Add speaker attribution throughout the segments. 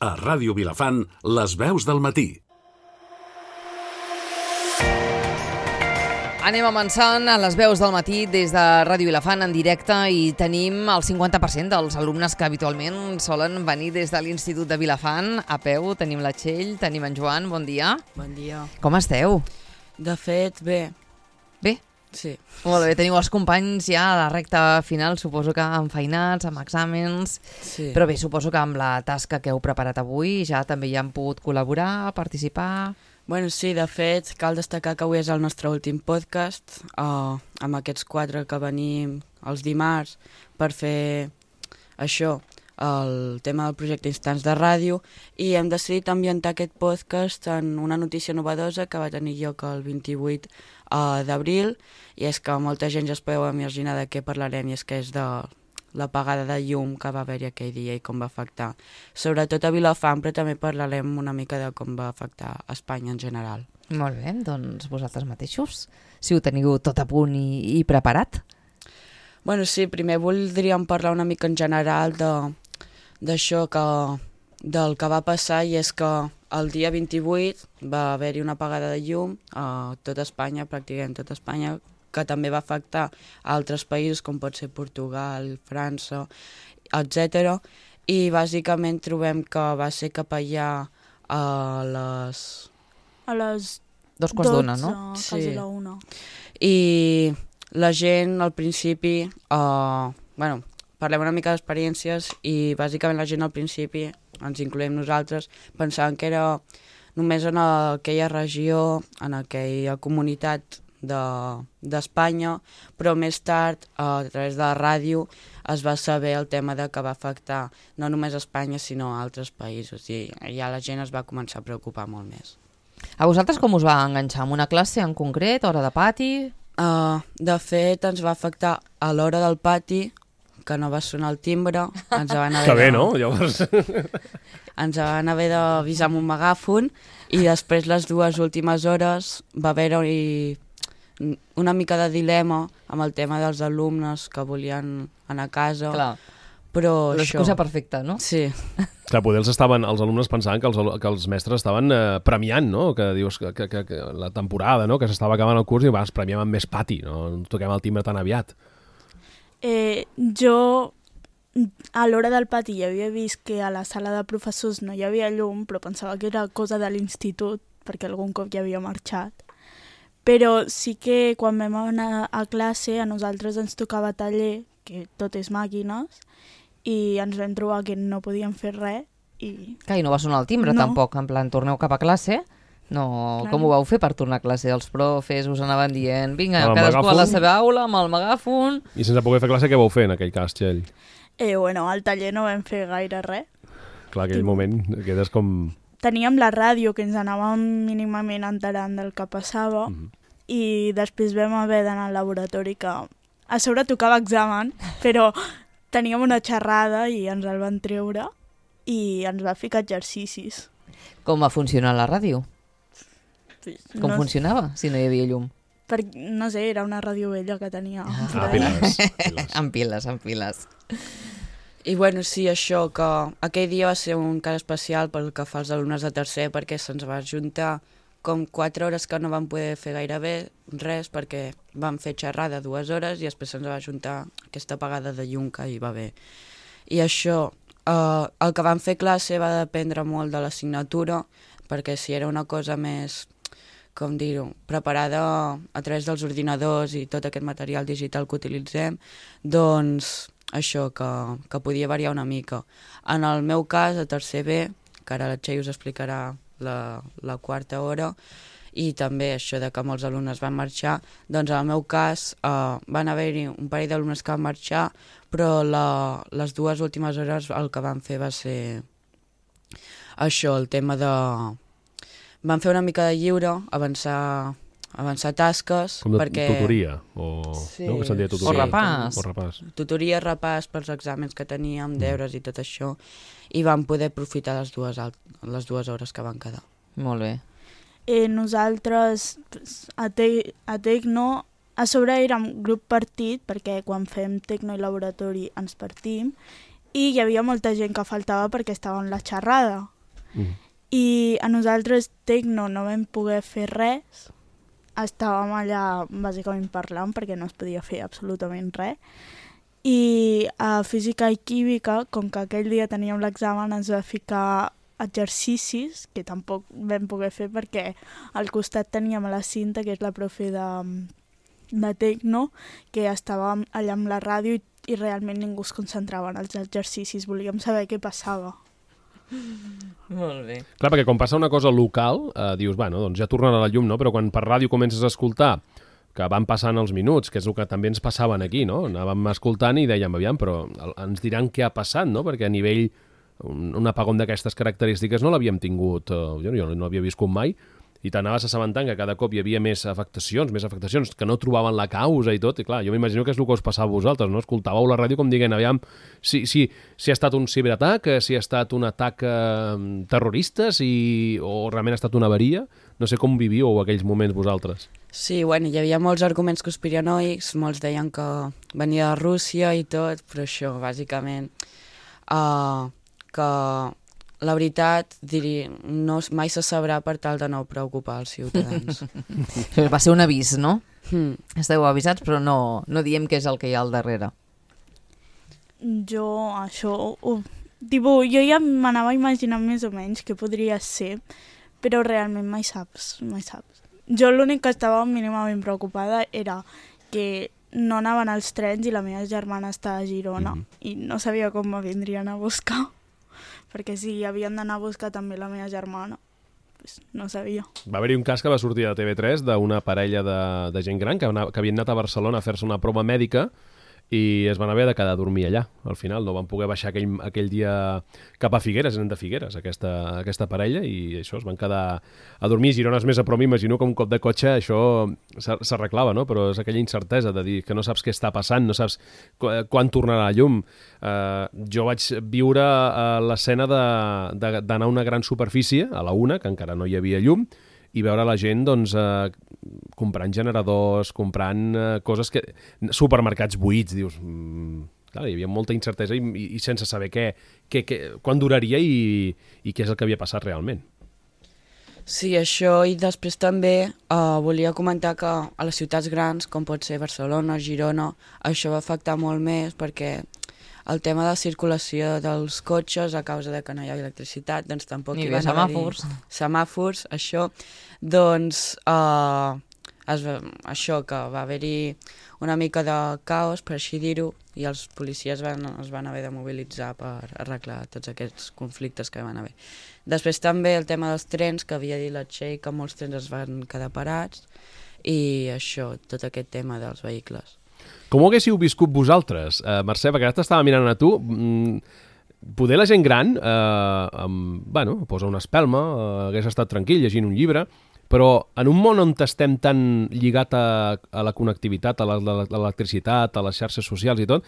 Speaker 1: A Ràdio Vilafant, les veus del matí.
Speaker 2: Anem avançant a les veus del matí des de Ràdio Vilafant en directe i tenim el 50% dels alumnes que habitualment solen venir des de l'Institut de Vilafant. A peu tenim la Txell, tenim en Joan, bon dia.
Speaker 3: Bon dia.
Speaker 2: Com esteu?
Speaker 3: De fet, bé.
Speaker 2: Bé?
Speaker 3: Sí.
Speaker 2: Molt bé, teniu els companys ja a la recta final, suposo que enfeinats, amb exàmens,
Speaker 3: Sí.
Speaker 2: però bé, suposo que amb la tasca que heu preparat avui ja també hi han pogut col·laborar, participar...
Speaker 3: Bueno, sí, de fet, cal destacar que avui és el nostre últim podcast, amb aquests 4 que venim els dimarts per fer això, el tema del projecte Instants de Ràdio, i hem decidit ambientar aquest podcast en una notícia novedosa que va tenir lloc el 28 d'abril, i és que molta gent ja es podeu imaginar de què parlarem, i és que és de l'apagada de llum que va haver-hi aquell dia i com va afectar, sobretot a Vilafant, però també parlarem una mica de com va afectar a Espanya en general.
Speaker 2: Molt bé, doncs vosaltres mateixos, si ho teniu tot a punt i preparat.
Speaker 3: Bueno, sí, primer voldríem parlar una mica en general d'això del que va passar, i és que el dia 28 va haver-hi una apagada de llum a tota Espanya, pràcticament tota Espanya, que també va afectar a altres països com pot ser Portugal, França, etc. I bàsicament trobem que va ser cap allà a les...
Speaker 4: A les
Speaker 2: 2:15, no?
Speaker 4: Quasi la 1.
Speaker 3: I la gent al principi, bueno, parlem una mica d'experiències, i bàsicament la gent al principi, ens incloem nosaltres, pensaven que era només en aquella regió, en aquella comunitat d'Espanya, però més tard, a través de la ràdio, es va saber el tema de que va afectar no només a Espanya, sinó a altres països, i ja la gent es va començar a preocupar molt més.
Speaker 2: A vosaltres com us va enganxar? En una classe en concret, hora de pati?
Speaker 3: De fet, ens va afectar a l'hora del pati, que no va sonar el timbre, ens van haver
Speaker 5: que bé, no? Llavors...
Speaker 3: ens van haver d'avisar amb un megàfon, i després les 2 últimes hores va haver-hi una mica de dilema amb el tema dels alumnes que volien anar a casa.
Speaker 2: Clar,
Speaker 3: però
Speaker 2: l'excusa
Speaker 3: això...
Speaker 2: perfecta, no?
Speaker 3: Sí.
Speaker 5: Clar, poder els alumnes pensaven que els mestres estaven premiant, no? Que dius que la temporada, no? Que s'estava acabant el curs i vas, premiem amb més pati, no toquem el timbre tan aviat.
Speaker 4: Jo, a l'hora del pati, ja havia vist que a la sala de professors no hi havia llum, però pensava que era cosa de l'institut, perquè algun cop ja havia marxat. Però sí que quan vam anar a classe, a nosaltres ens tocava taller, que tot és màquines, i ens vam trobar que no podíem fer res. I
Speaker 2: no va sonar el timbre,
Speaker 4: No.
Speaker 2: tampoc, en plan, torneu cap a classe? No,
Speaker 4: Clar.
Speaker 2: com ho vau fer per tornar a classe? Els profes us anaven dient, vinga,
Speaker 5: Amb el
Speaker 2: cadascú a la
Speaker 5: megàfon?
Speaker 2: seva aula, amb el megàfon...
Speaker 5: I sense poder fer classe, què vau fer en aquell cas, Txell?
Speaker 4: bueno, al taller no vam fer gaire res.
Speaker 5: Clar, aquell moment quedes com...
Speaker 4: Teníem la ràdio, que ens anàvem mínimament enterant del que passava, i després vam haver d'anar al laboratori, que a sobre tocava examen, però teníem una xerrada i ens el van treure i ens va ficar exercicis.
Speaker 2: Com va funcionar la ràdio? Com
Speaker 4: no,
Speaker 2: funcionava, si no hi havia llum?
Speaker 4: no sé, era una ràdio vella que tenia.
Speaker 5: piles.
Speaker 2: En piles.
Speaker 3: I bueno, sí, això, que aquell dia va ser un cas especial pel que fa als alumnes de tercer, perquè se'ns va juntar com 4 hores que no vam poder fer gairebé res, perquè vam fer xerrada 2 hores i després se'ns va juntar aquesta apagada de llum que hi va haver. I això, el que vam fer classe va dependre molt de l'assignatura, perquè si era una cosa més, com dir-ho, preparada a través dels ordinadors i tot aquest material digital que utilitzem, doncs això, que podia variar una mica. En el meu cas, a tercer B, que ara la Txell us explicarà la quarta hora, i també això de que molts alumnes van marxar, doncs en el meu cas van haver-hi un parell d'alumnes que van marxar, però les 2 últimes hores el que van fer va ser això, el tema de... Van fer una mica de lliure, avançar tasques...
Speaker 5: Com de
Speaker 3: perquè...
Speaker 5: tutoria, o...
Speaker 3: Sí.
Speaker 5: No? Que se'n deia tutoria.
Speaker 2: O repàs.
Speaker 5: O repàs.
Speaker 3: Tutoria, repàs pels exàmens que teníem, deures i tot això, i vam poder aprofitar les 2 hores que van quedar.
Speaker 2: Molt bé.
Speaker 4: Nosaltres, a Tecno, a sobre érem grup partit, perquè quan fem Tecno i laboratori ens partim, i hi havia molta gent que faltava perquè estava en la xerrada. i a nosaltres Tecno no vam poder fer res, estàvem allà bàsicament parlant perquè no es podia fer absolutament res, i a Física i Química, com que aquell dia teníem l'examen, ens va ficar exercicis que tampoc vam poder fer perquè al costat teníem a la Cinta, que és la profe de Tecno, que estava allà amb la ràdio i realment ningú es concentrava en els exercicis, volíem saber què passava.
Speaker 2: Molt bé.
Speaker 5: Clar, perquè quan passa una cosa local, dius, bueno, doncs ja tornarà la llum, no? Però quan per ràdio comences a escoltar que van passant els minuts, que és el que també ens passaven aquí, no? Anàvem escoltant i dèiem, aviam, però ens diran què ha passat, no? Perquè a nivell, un apagón d'aquestes característiques no l'havíem tingut, jo no havia viscut mai, i t'anaves assabentant que cada cop hi havia més afectacions, que no trobaven la causa i tot, i clar, jo m'imagino que és el que us passava a vosaltres, no? Escoltàveu la ràdio com dient, aviam, si ha estat un ciberatac, si ha estat un atac terrorista, o realment ha estat una avaria, no sé com vivíeu aquells moments vosaltres.
Speaker 3: Sí, bueno, hi havia molts arguments conspiranoics, molts deien que venia de Rússia i tot, però això, bàsicament, que la veritat, mai se sabrà per tal de no preocupar els ciutadans.
Speaker 2: Va ser un avís, no? Esteu avisats, però no diem què és el que hi ha al darrere.
Speaker 4: Jo jo ja m'anava imaginant més o menys què podria ser, però realment mai saps. Jo l'únic que estava mínimament preocupada era que no anaven els trens i la meva germana està a Girona i no sabia com me vindrien a buscar, perquè si havien d'anar a buscar també la meva germana, pues no sabia.
Speaker 5: Va haver-hi un cas que va sortir de TV3 d'una parella de gent gran que havien anat a Barcelona a fer-se una prova mèdica i es van haver de quedar a dormir allà. Al final no van poder baixar aquell dia cap a Figueres, eren de Figueres, aquesta parella, i això, es van quedar a dormir. Girona és més a prop, m'imagino que un cop de cotxe això s'arreglava, no? Però és aquella incertesa de dir que no saps què està passant, no saps quan tornarà la llum. Jo vaig viure l'escena d'anar a una gran superfície, a la una, que encara no hi havia llum, i veure la gent doncs, comprant generadors, comprant coses que... supermercats buits, dius... Clar, hi havia molta incertesa i sense saber quan duraria i què és el que havia passat realment.
Speaker 3: Sí, això, i després també volia comentar que a les ciutats grans, com pot ser Barcelona, Girona, això va afectar molt més perquè el tema de la circulació dels cotxes a causa de que no hi ha electricitat, doncs tampoc hi va haver semàfors, això, doncs això, que va haver-hi una mica de caos, per així dir-ho, i els policies es van haver de mobilitzar per arreglar tots aquests conflictes que van haver. Després també el tema dels trens, que havia dit la Txell, que molts trens es van quedar parats, i això, tot aquest tema dels vehicles.
Speaker 5: Com ho haguéssiu viscut vosaltres, Mercè? Perquè ara t'estava mirant a tu. Poder la gent gran, posa una espelma, hagués estat tranquil llegint un llibre, però en un món on estem tan lligat a la connectivitat, a l'electricitat, a les xarxes socials i tot,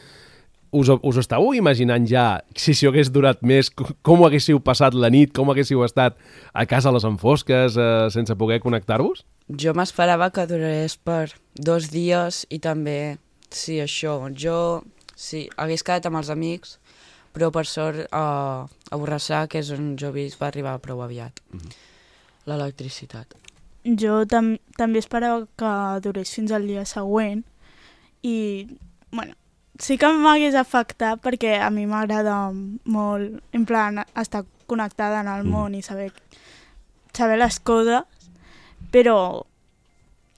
Speaker 5: us estàveu imaginant ja, si s'ho hagués durat més, com ho haguéssiu passat la nit, com haguéssiu estat a casa a les enfosques sense poder connectar-vos?
Speaker 3: Jo m'esperava que durés per 2 dies i també, sí, això, hagués quedat amb els amics, però per sort a Borrassà, que és on jo visc, va arribar prou aviat l'electricitat.
Speaker 4: Jo també esperava que durés fins al dia següent i, bueno, sí que m'hagués afectat perquè a mi m'agrada molt, en plan, estar connectada en el món i saber les coses, però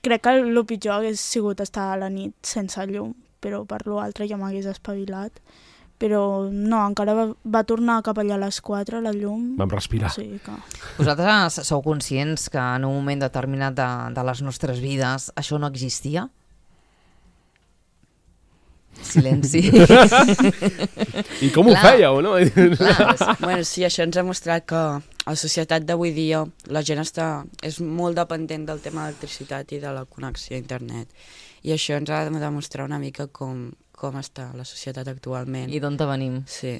Speaker 4: crec que el pitjor hagués sigut estar a la nit sense llum, però per l'altre ja m'hagués espavilat. Però no, encara va tornar cap allà a les 4, la llum.
Speaker 5: Vam respirar.
Speaker 4: Sí, que...
Speaker 2: Vosaltres sou conscients que en un moment determinat de les nostres vides això no existia? Silenci.
Speaker 5: I com ho fèieu, no?
Speaker 3: Bueno, sí, això ens ha mostrat que a la societat d'avui dia la gent és molt dependent del tema de l'electricitat i de la connexió a internet. I això ens ha de demostrar una mica com està la societat actualment.
Speaker 2: I d'on venim.
Speaker 3: Sí.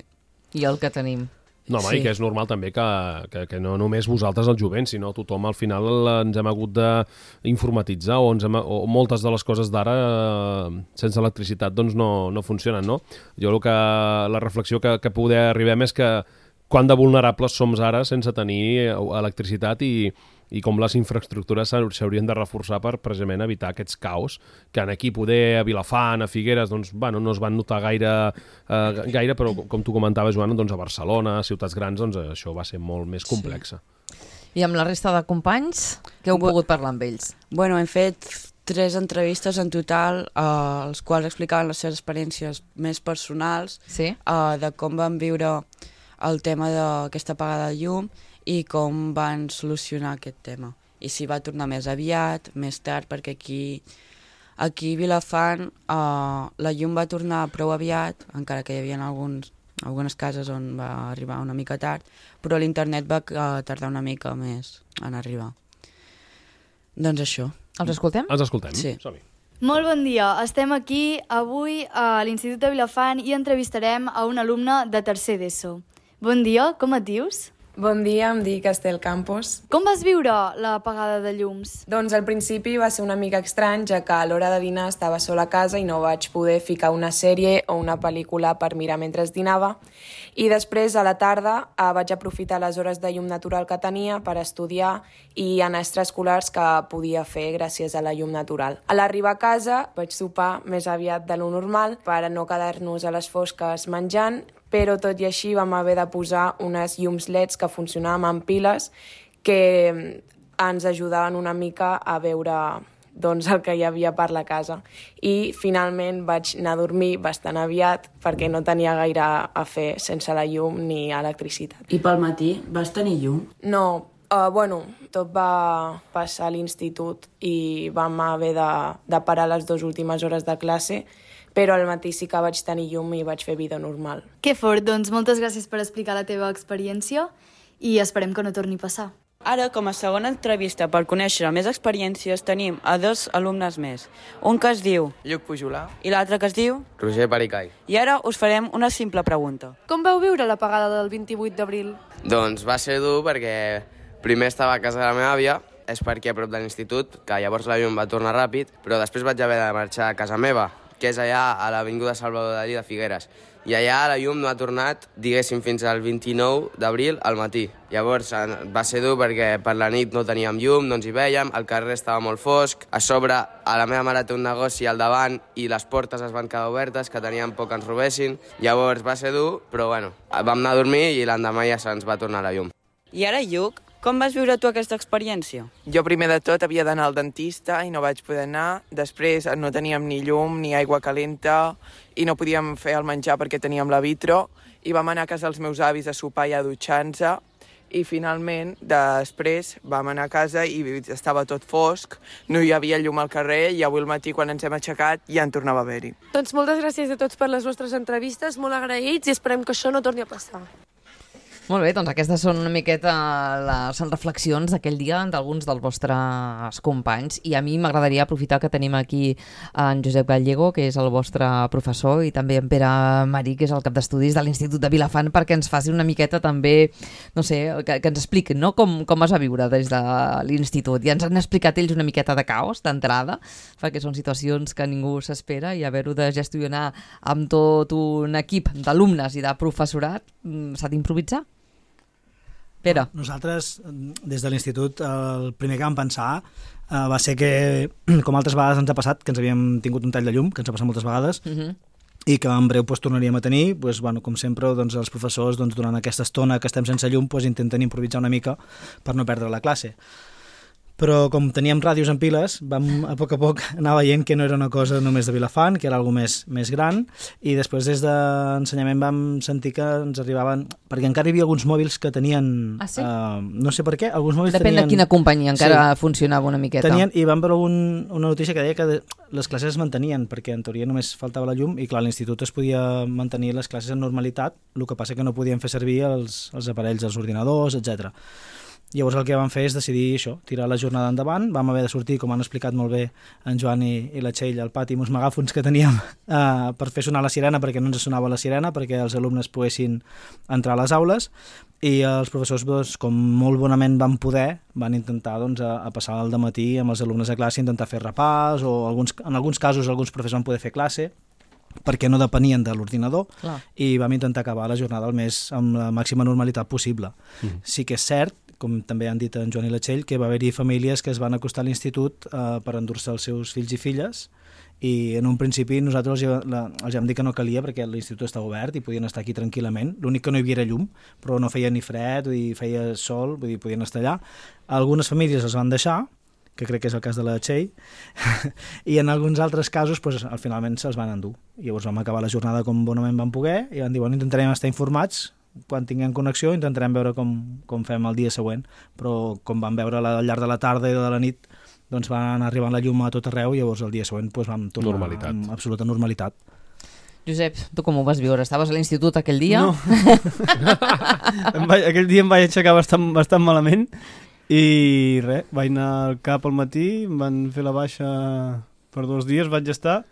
Speaker 2: I el que tenim.
Speaker 5: No, home, sí. I que és normal també que no només vosaltres, el jovent, sinó tothom al final ens hem hagut d'informatitzar o moltes de les coses d'ara sense electricitat doncs no funcionen, no? Jo la reflexió que poder arribem és que quant de vulnerables som ara sense tenir electricitat i com les infraestructures s'haurien de reforçar per precisament evitar aquests caos que aquí poder a Vilafant, a Figueres, doncs, bueno, no es van notar gaire, però com tu comentaves, Joana, doncs a Barcelona, a ciutats grans, doncs això va ser molt més complexa.
Speaker 2: I amb la resta de companys, què heu pogut parlar amb ells?
Speaker 3: Bueno, hem fet 3 entrevistes en total, els quals explicaven les seves experiències més personals,
Speaker 2: Sí?
Speaker 3: de com van viure el tema d'aquesta apagada de llum i com van solucionar aquest tema. I si va tornar més aviat, més tard, perquè aquí a Vilafant la llum va tornar prou aviat, encara que hi havia algunes cases on va arribar una mica tard, però l'internet va tardar una mica més en arribar. Doncs això.
Speaker 2: Els escoltem?
Speaker 5: Els escoltem?
Speaker 3: Sí.
Speaker 5: Som-hi.
Speaker 6: Molt bon dia. Estem aquí avui a l'Institut de Vilafant i entrevistarem a un alumne de tercer d'ESO. Bon dia, com et dius?
Speaker 7: Bon dia, em dic Estel Campos.
Speaker 6: Com vas viure l'apagada de llums?
Speaker 7: Doncs al principi va ser una mica estrany, ja que a l'hora de dinar estava sola a casa i no vaig poder ficar una sèrie o una pel·lícula per mirar mentre dinava. I després, a la tarda, vaig aprofitar les hores de llum natural que tenia per estudiar i anar extraescolars que podia fer gràcies a la llum natural. A l'arribar a casa vaig sopar més aviat de lo normal per a no quedar-nos a les fosques menjant, però tot i així vam haver de posar unes llums LEDs que funcionaven amb piles que ens ajudaven una mica a veure doncs, el que hi havia per la casa. I finalment vaig anar a dormir bastant aviat perquè no tenia gaire a fer sense la llum ni electricitat.
Speaker 3: I pel matí vas tenir llum?
Speaker 7: No, tot va passar a l'institut i vam haver de parar les 2 últimes hores de classe, però al matí sí que vaig tenir llum i vaig fer vida normal.
Speaker 6: Que fort, doncs moltes gràcies per explicar la teva experiència i esperem que no torni a passar.
Speaker 3: Ara, com a segona entrevista per conèixer més experiències, tenim a 2 alumnes més. Un que es diu
Speaker 8: Lluc Pujolà,
Speaker 3: i l'altre que es diu...
Speaker 8: Roger Pericai.
Speaker 3: I ara us farem una simple pregunta.
Speaker 9: Com vau viure l'apagada del 28 d'abril?
Speaker 8: Doncs va ser dur perquè primer estava a casa de la meva àvia, és perquè a prop de l'institut, que llavors la llum va tornar ràpid, però després vaig haver de marxar a casa meva, que és allà a l'Avinguda Salvador Dalí de Figueres. I allà la llum no ha tornat, diguéssim, fins al 29 d'abril al matí. Llavors va ser dur perquè per la nit no teníem llum, no ens hi vèiem, el carrer estava molt fosc, a sobre a la meva mare té un negoci al davant i les portes es van quedar obertes, que teníem por que ens robessin. Llavors va ser dur, però bueno, vam anar a dormir i l'endemà ja se'ns va tornar la llum.
Speaker 3: I ara, Lluc, com vas viure tu aquesta experiència?
Speaker 10: Jo primer de tot havia d'anar al dentista i no vaig poder anar. Després no teníem ni llum ni aigua calenta i no podíem fer el menjar perquè teníem la vitro i vam anar a casa dels meus avis a sopar i a dutxar-nos i finalment després vam anar a casa i estava tot fosc, no hi havia llum al carrer i avui al matí quan ens hem aixecat ja en tornava a haver-hi.
Speaker 9: Doncs moltes gràcies a tots per les vostres entrevistes, molt agraïts i esperem que això no torni a passar.
Speaker 2: Molt bé, doncs aquestes són una miqueta les reflexions d'aquell dia d'alguns dels vostres companys i a mi m'agradaria aprofitar que tenim aquí en Josep Gallego, que és el vostre professor, i també en Pere Marí, que és el cap d'estudis de l'Institut de Vilafant, perquè ens faci una miqueta també, no sé, que ens expliquin, no?, com es va viure des de l'institut. Ja ens han explicat ells una miqueta de caos d'entrada, perquè són situacions que ningú s'espera i haver-ho de gestionar amb tot un equip d'alumnes i de professorat s'ha d'improvisar. Pere.
Speaker 11: Nosaltres, des de l'institut, el primer que vam pensar va ser que, com altres vegades ens ha passat, que ens havíem tingut un tall de llum, que ens ha passat moltes vegades, i que en breu tornaríem a tenir, com sempre, els professors, durant aquesta estona que estem sense llum, intenten improvisar una mica per no perdre la classe. Però com teníem ràdios en piles, vam a poc anar veient que no era una cosa només de Vilafant, que era alguna més gran, i després des d'ensenyament vam sentir que ens arribaven... Perquè encara hi havia alguns mòbils que tenien...
Speaker 2: Ah, sí?
Speaker 11: No sé per què, alguns mòbils
Speaker 2: Depèn
Speaker 11: tenien...
Speaker 2: de quina companyia, encara funcionava una miqueta.
Speaker 11: I vam veure una notícia que deia que les classes es mantenien, perquè en teoria només faltava la llum, i clar, a l'institut es podia mantenir les classes en normalitat, el que passa que no podien fer servir els aparells, els ordinadors, etc. Llavors el que vam fer és decidir això, tirar la jornada endavant. Vam haver de sortir, com han explicat molt bé en Joan i la Txell, al pati amb uns megàfons que teníem per fer sonar la sirena, perquè no ens sonava la sirena, perquè els alumnes poguessin entrar a les aules, i els professors, com molt bonament van poder, van intentar a passar el dematí amb els alumnes a classe, intentar fer repàs, o en alguns casos alguns professors van poder fer classe, perquè no depenien de l'ordinador,
Speaker 2: Clar.
Speaker 11: i vam intentar acabar la jornada al mes amb la màxima normalitat possible. Sí que és cert, com també han dit en Joan i la Txell, que va haver-hi famílies que es van acostar a l'institut per endur-se els seus fills i filles, i en un principi nosaltres els vam dir que no calia perquè l'institut estava obert i podien estar aquí tranquil·lament. L'únic que no hi havia era llum, però no feia ni fred, vull dir, feia sol, vull dir, podien estar allà. Algunes famílies els van deixar, que crec que és el cas de la Txell, i en alguns altres casos pues, finalment se'ls van endur. I llavors vam acabar la jornada com bonament vam poder i vam dir, bueno, intentarem estar informats, quan tinguem connexió intentarem veure com fem el dia següent, però com vam veure al llarg de la tarda i de la nit, doncs van arribant la llum a tot arreu i llavors el dia següent doncs, vam tornar amb absoluta normalitat.
Speaker 2: Josep, tu com ho vas viure? Estaves a l'institut aquell dia?
Speaker 12: No. Aquell dia em vaig aixecar bastant malament i res, vaig anar al CAP al matí, em van fer la baixa per 2 dies, vaig estar,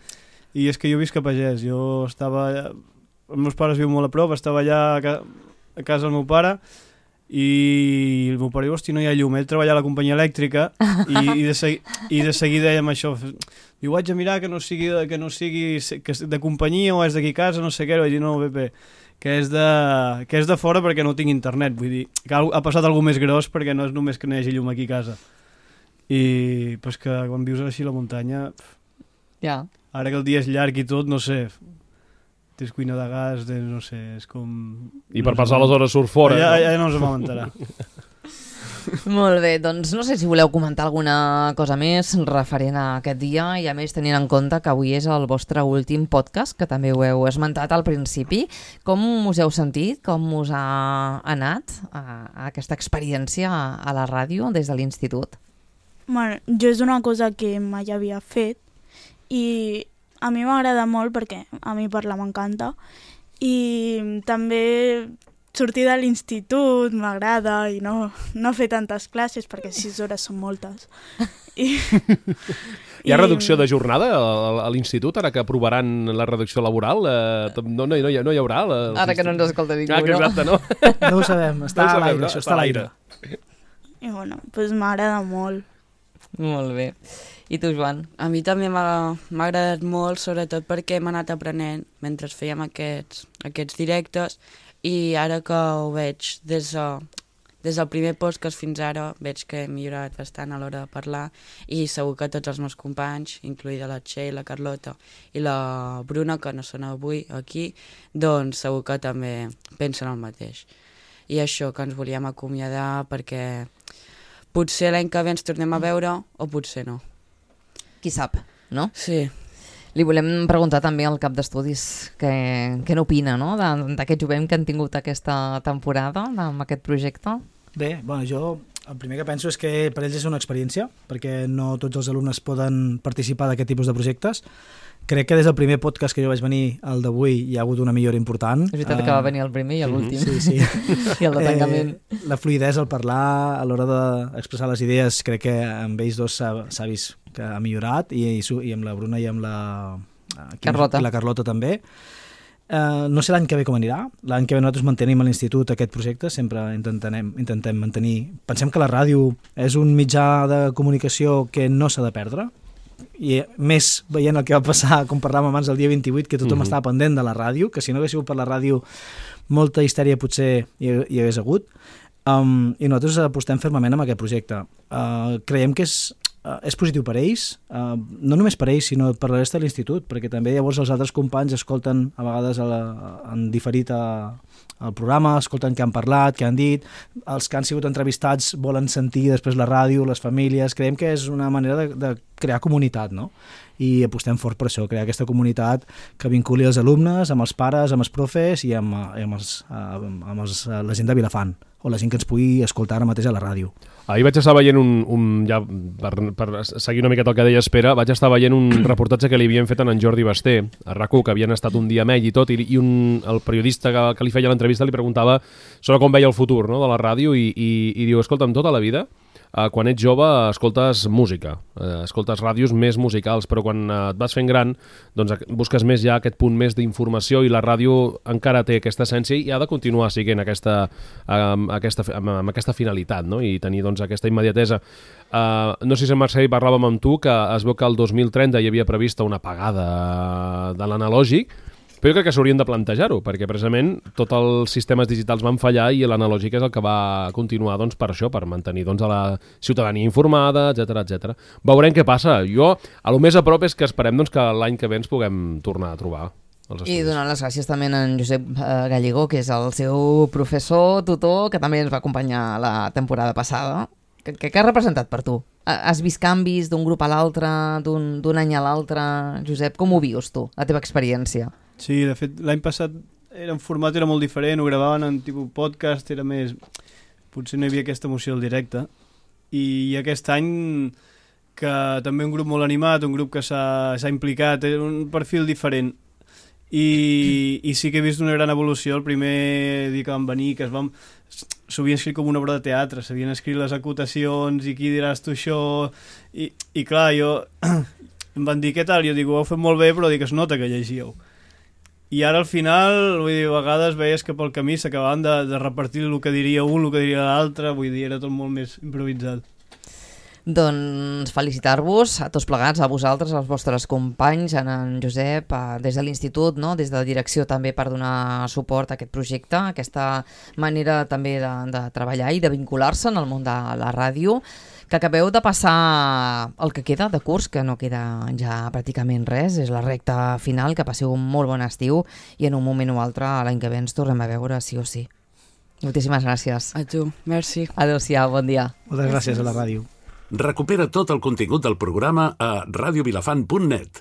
Speaker 12: i és que jo visc a Pagès, jo estava... Els meus pares viuen molt a prop, estava allà a casa del meu pare, i el meu pare diu, hosti, no hi ha llum, ell treballa a la companyia elèctrica i de seguida dèiem això, diu, vaig a mirar que no sigui de companyia o és d'aquí a casa, no sé què, vaig dir, no, Pepe, que és de fora perquè no tinc internet, vull dir, que ha passat alguna més gros perquè no és només que no hi hagi llum aquí a casa. I pues que quan vius així a la muntanya, ara que el dia és llarg i tot, no sé, tens cuina de gas, no sé, és com...
Speaker 5: I per passar les hores surt fora.
Speaker 12: Ja no ens vam enterar.
Speaker 2: Molt bé, doncs no sé si voleu comentar alguna cosa més referent a aquest dia i a més tenint en compte que avui és el vostre últim podcast, que també ho heu esmentat al principi. Com us heu sentit? Com us ha anat aquesta experiència a la ràdio des de l'institut?
Speaker 4: Bueno, jo és una cosa que mai havia fet i a mi m'agrada molt perquè a mi parlar m'encanta i també sortir de l'institut m'agrada i no fer tantes classes perquè 6 hores són moltes.
Speaker 5: Hi ha reducció de jornada a l'institut ara que aprovaran la reducció laboral? No hi haurà?
Speaker 2: Ara que no ens escolta ningú,
Speaker 5: no? Exacte, no?
Speaker 11: No ho sabem, està a l'aire, això està a l'aire.
Speaker 4: I bueno, doncs m'agrada molt.
Speaker 2: Molt bé. I tu, Joan?
Speaker 3: A mi també m'ha agradat molt, sobretot perquè hem anat aprenent mentre fèiem aquests directes i ara que ho veig des del primer podcast fins ara veig que he millorat bastant a l'hora de parlar i segur que tots els meus companys, incloïda la Txell, la Carlota i la Bruna, que no són avui aquí, doncs segur que també pensen el mateix. I això, que ens volíem acomiadar perquè potser l'any que ve ens tornem a veure o potser no.
Speaker 2: Qui sap, no?
Speaker 3: Sí.
Speaker 2: Li volem preguntar també al cap d'estudis què n'opina, no? D'aquest jovent que han tingut aquesta temporada amb aquest projecte.
Speaker 11: Bé, bueno, jo el primer que penso és que per ells és una experiència, perquè no tots els alumnes poden participar d'aquest tipus de projectes. Crec que des del primer podcast que jo vaig venir al d'avui hi ha hagut una millora important.
Speaker 2: És veritat que va venir el primer i l'últim.
Speaker 11: Sí.
Speaker 2: I el de tancament.
Speaker 11: La fluïdesa al parlar, a l'hora d'expressar les idees, crec que amb ells dos s'ha vist que ha millorat i amb la Bruna i amb la Carlota també. No sé l'any que ve com anirà. L'any que ve nosaltres mantenim a l'institut aquest projecte, sempre intentem mantenir. Pensem que la ràdio és un mitjà de comunicació que no s'ha de perdre, i més veient el que va passar com parlàvem abans el dia 28, que tothom estava pendent de la ràdio, que si no hagués sigut per la ràdio molta histèria potser hi hagués hagut, i nosaltres apostem fermament amb aquest projecte. Creiem que és positiu per ells, no només per ells sinó per la resta de l'institut, perquè també llavors els altres companys escolten a vegades en diferit el programa, escolten què han parlat, què han dit, els que han sigut entrevistats volen sentir després la ràdio, les famílies. Creiem que és una manera de crear comunitat, no? I apostem fort per això, crear aquesta comunitat que vinculi els alumnes amb els pares, amb els profes i amb la gent de Vilafant, o la gent que ens pugui escoltar ara mateix a la ràdio.
Speaker 5: Ahir vaig estar veient ja per seguir una miqueta el que deia Espera, vaig estar veient un reportatge que li havien fet en Jordi Basté, a RAC1, que havien estat un dia amb ell i tot, i el periodista que li feia l'entrevista li preguntava sobre com veia el futur, no?, de la ràdio i diu, escolta'm, tota la vida quan ets jove escoltes música, escoltes ràdios més musicals, però quan et vas fent gran doncs busques més ja aquest punt més d'informació i la ràdio encara té aquesta essència i ha de continuar siguent amb aquesta finalitat, no? I tenir doncs, aquesta immediatesa. No sé si en Marcel parlàvem amb tu que es veu que el 2030 hi havia prevista una apagada de l'analògic, però jo crec que s'haurien de plantejar-ho, perquè precisament tots els sistemes digitals van fallar i l'analògic és el que va continuar doncs, per això, per mantenir doncs, a la ciutadania informada, etc. Veurem què passa. Jo, a lo més a prop és que esperem doncs, que l'any que ve ens puguem tornar a trobar.
Speaker 2: I donant les gràcies també a en Josep Gallego, que és el seu professor, tutor, que també ens va acompanyar la temporada passada. Què ha representat per tu? Has vist canvis d'un grup a l'altre, d'un any a l'altre? Josep, com ho vius tu, la teva experiència?
Speaker 12: Sí, de fet, l'any passat el format era molt diferent, ho gravaven en tipus podcast, era més... Potser no hi havia aquesta emoció al directe. I aquest any, que també un grup molt animat, un grup que s'ha implicat, era un perfil diferent. I sí que he vist una gran evolució el primer dia que van venir, que s'ho havien escrit com una obra de teatre, s'havien escrit les acotacions i qui diràs tu això, i clar, em van dir què tal, jo dic, ho heu fet molt bé, però dic, es nota que llegíeu. I ara al final, vull dir, a vegades veies que pel camí s'acabaven de repartir el que diria un, el que diria l'altre, vull dir, era tot molt més improvisat.
Speaker 2: Doncs felicitar-vos a tots plegats, a vosaltres, als vostres companys, a en Josep, des de l'institut, no? Des de direcció també per donar suport a aquest projecte, a aquesta manera també de treballar i de vincular-se en el món de la ràdio, que acabeu de passar el que queda de curs, que no queda ja pràcticament res, és la recta final, que passeu un molt bon estiu i en un moment o altre l'any que ve ens tornem a veure sí o sí. Moltíssimes gràcies.
Speaker 3: A tu, merci.
Speaker 2: Adéu-siau, bon dia.
Speaker 11: Moltes gràcies a la ràdio.
Speaker 1: Recupera tot el contingut del programa a radiovilafant.net.